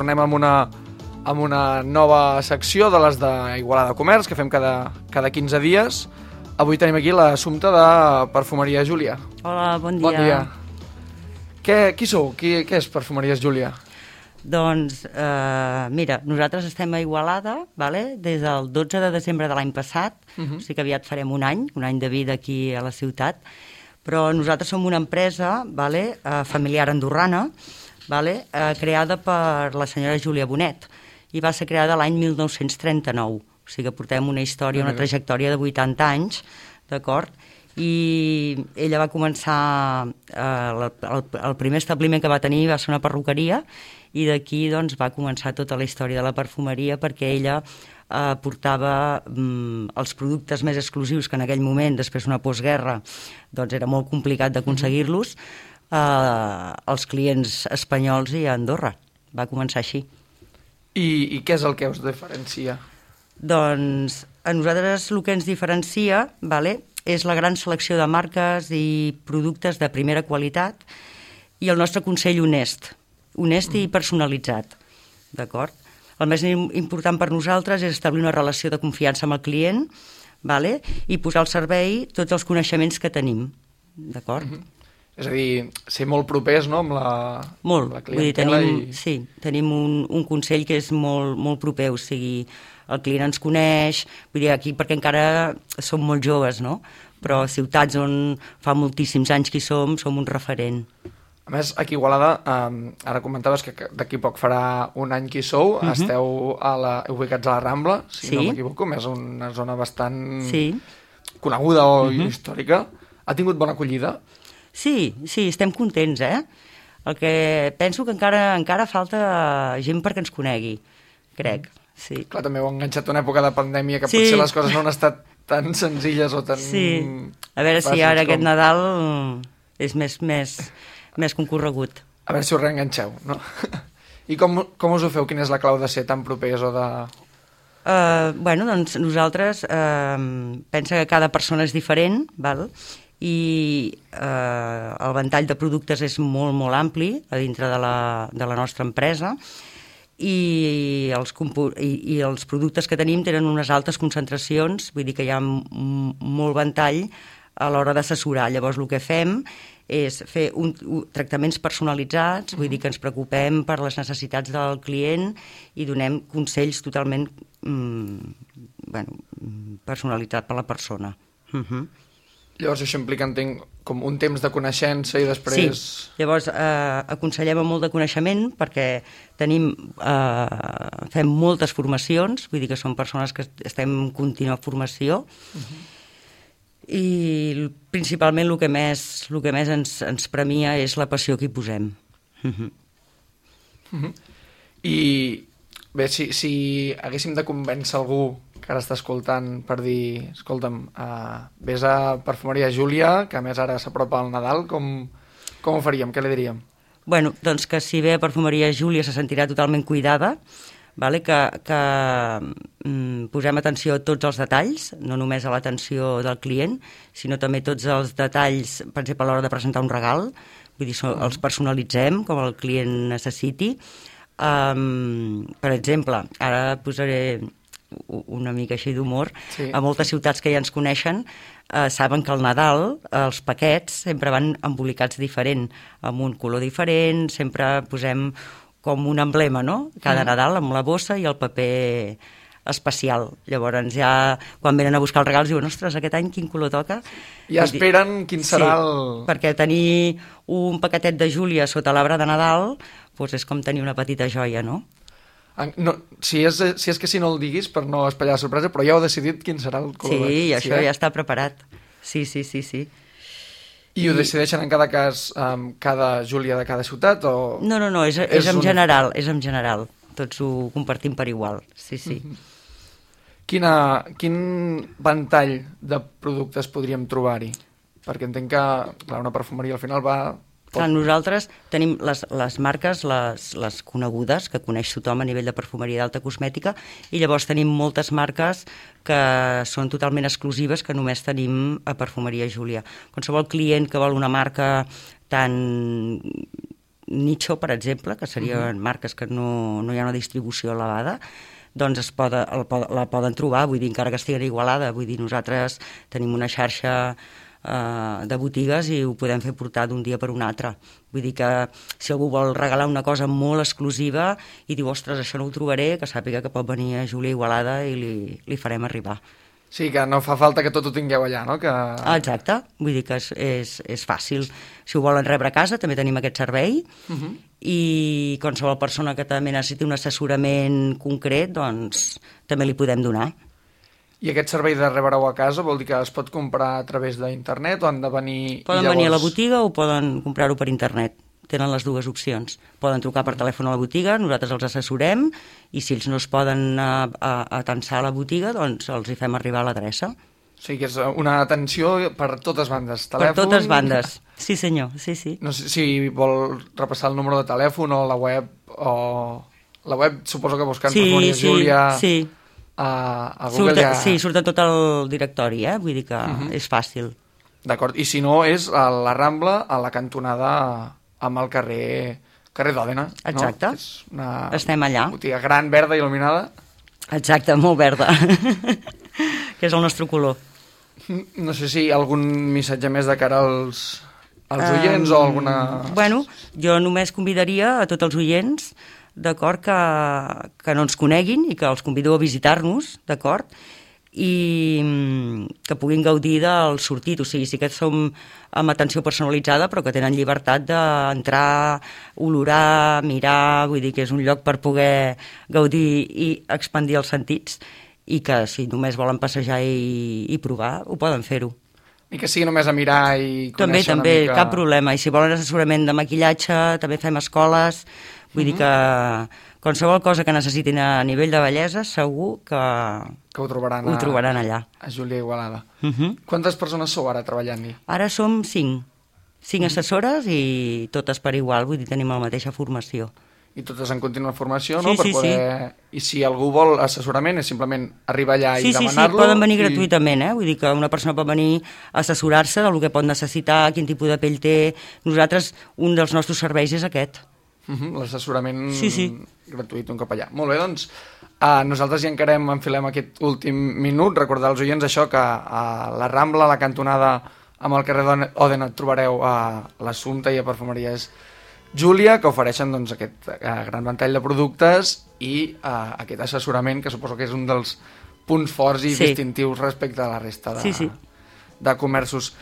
tornem amb una nova secció de les d'Igualada Comerç, que fem cada 15 dies. Avui tenim aquí l'assumpte de Perfumeria Júlia. Hola, bon dia. Bon dia. Qui sou? Què és Perfumeries Júlia? Doncs, mira, nosaltres estem a Igualada, des del 12 de desembre de l'any passat, o sigui que aviat farem un any de vida aquí a la ciutat, però nosaltres som una empresa familiar andorrana, creada per la senyora Júlia Bonet, i va ser creada l'any 1939, o sigui que portem una història, una trajectòria de 80 anys, d'acord? I ella va començar, el primer establiment que va tenir va ser una perruqueria, i d'aquí doncs, va començar tota la història de la perfumeria, perquè ella portava els productes més exclusius que en aquell moment, després d'una postguerra, doncs era molt complicat d'aconseguir-los, als clients espanyols i a Andorra. Va començar així. I què és el que us diferencia? Doncs a nosaltres el que ens diferencia és la gran selecció de marques i productes de primera qualitat i el nostre consell honest i personalitzat, d'acord? El més important per nosaltres és establir una relació de confiança amb el client i posar al servei tots els coneixements que tenim, d'acord? És a dir, ser molt propers, no?, amb la clientela. Sí, tenim un consell que és molt proper, o sigui, el client ens coneix, vull dir, aquí perquè encara som molt joves, no? Però a ciutats on fa moltíssims anys que hi som un referent. A més, aquí a Igualada, ara comentaves que d'aquí poc farà un any que hi sou, esteu ubicats a la Rambla, si no m'equivoco, és una zona bastant coneguda o històrica. Ha tingut bona acollida? Sí, estem contents, El que penso que encara falta gent perquè ens conegui, crec, sí. Clar, també heu enganxat una època de pandèmia que potser les coses no han estat tan senzilles o tan... Sí, a veure si ara aquest Nadal és més concorregut. A veure si us reenganxeu, no? I com us ho feu? Quina és la clau de ser tan propers o de... Doncs nosaltres pensa que cada persona és diferent, i el ventall de productes és molt ampli a dintre de la nostra empresa i els productes que tenim tenen unes altes concentracions, vull dir que hi ha molt ventall a l'hora d'assessorar. Llavors el que fem és fer tractaments personalitzats, vull dir que ens preocupem per les necessitats del client i donem consells totalment personalitzats per la persona. Llavors això implica, entenc, com un temps de coneixença i després... Sí, llavors aconsellem molt de coneixement perquè fem moltes formacions, vull dir que som persones que estem en contínua formació i principalment el que més ens premia és la passió que hi posem. I bé, si haguéssim de convèncer algú que ara està escoltant per dir, escolta'm, vés a Perfumeria Júlia, que a més ara s'apropa al Nadal, com ho faríem? Què li diríem? Bueno, doncs que si ve a Perfumeria Júlia se sentirà totalment cuidada, que posem atenció a tots els detalls, no només a l'atenció del client, sinó també tots els detalls, per exemple, a l'hora de presentar un regal, vull dir, els personalitzem com el client necessiti. Per exemple, ara posaré una mica així d'humor, a moltes ciutats que ja ens coneixen saben que al Nadal els paquets sempre van embolicats diferent, amb un color diferent, sempre posem com un emblema, no? Cada Nadal amb la bossa i el paper especial. Llavors ja quan venen a buscar els regals diuen, ostres, aquest any quin color toca? Ja esperen quin serà el... perquè tenir un paquetet de Júlia sota l'arbre de Nadal és com tenir una petita joia, no? No, si és que si no el diguis per no espatllar la sorpresa, però ja heu decidit quin serà el color. Sí, això ja està preparat. Sí. I ho decideixen en cada cas cada Júlia de cada ciutat? O... No, és en general, és en general. Tots ho compartim per igual, sí. Quin ventall de productes podríem trobar-hi? Perquè entenc que una perfumeria al final va... Nosaltres tenim les marques, les conegudes, que coneix tothom a nivell de perfumeria d'alta cosmètica, i llavors tenim moltes marques que són totalment exclusives que només tenim a Perfumeria Júlia. Qualsevol client que vol una marca tan nicho, per exemple, que serien marques que no hi ha una distribució elevada, doncs la poden trobar, vull dir, encara que estigui a Igualada, vull dir, nosaltres tenim una xarxa de botigues i ho podem fer portar d'un dia per un altre. Vull dir que si algú vol regalar una cosa molt exclusiva i diu, ostres, això no ho trobaré, que sàpiga que pot venir a Júlia Igualada i li farem arribar. Sí, que no fa falta que tot ho tingueu allà, no? Exacte, vull dir que és fàcil. Si ho volen rebre a casa, també tenim aquest servei, i qualsevol persona que també necessiti un assessorament concret, doncs també li podem donar. I aquest servei de rebre-ho a casa vol dir que es pot comprar a través d'internet o han de venir... Poden venir a la botiga o poden comprar-ho per internet. Tenen les dues opcions. Poden trucar per telèfon a la botiga, nosaltres els assessorem, i si ells no es poden atensar a la botiga, doncs els hi fem arribar a l'adreça. O sigui que és una atenció per totes bandes. Telèfon... Per totes bandes, sí senyor, sí. No sé si vol repassar el número de telèfon o la web, La web suposo que buscant Perfumeria Júlia... Sí, a Google sí, surt tot el directori, vull dir que és fàcil. D'acord, i si no és a la Rambla, a la cantonada amb el carrer d'Òdena. Exacte, no? És una estem allà. Botiga gran, verda, il·luminada. Exacte, molt verda, que és el nostre color. No sé si algun missatge més de cara als oients o alguna... Bueno, jo només convidaria a tots els oients, d'acord, que no ens coneguin i que els convido a visitar-nos, d'acord, i que puguin gaudir del sortit. O sigui, sí que som amb atenció personalitzada, però que tenen llibertat d'entrar, olorar, mirar, vull dir que és un lloc per poder gaudir i expandir els sentits, i que si només volen passejar i provar, ho poden fer-ho. I que sigui només a mirar i conèixer també, una mica... cap problema. I si volen assessorament de maquillatge, també fem escoles. Vull dir que qualsevol cosa que necessitin a nivell de bellesa, segur que ho trobaran allà. A Júlia Igualada. Quantes persones sou ara treballant-hi? Ara som 5 assessores i totes per igual, vull dir, tenim la mateixa formació. I totes en contínua formació, no? Per poder... I si algú vol assessorament és simplement arribar allà i demanar-lo? Sí, poden venir gratuïtament, vull dir que una persona pot venir a assessorar-se del que pot necessitar, quin tipus de pell té. Nosaltres, un dels nostres serveis és aquest. L'assessorament gratuït un cop allà. Molt bé, doncs nosaltres ja enfilem aquest últim minut. Recordar als oients això, que a la Rambla, a la cantonada amb el carrer d'Òdena, trobareu a l'Assumpta i a Perfumeries Júlia, que ofereixen aquest gran ventall de productes i aquest assessorament, que suposo que és un dels punts forts i distintius respecte a la resta de comerços.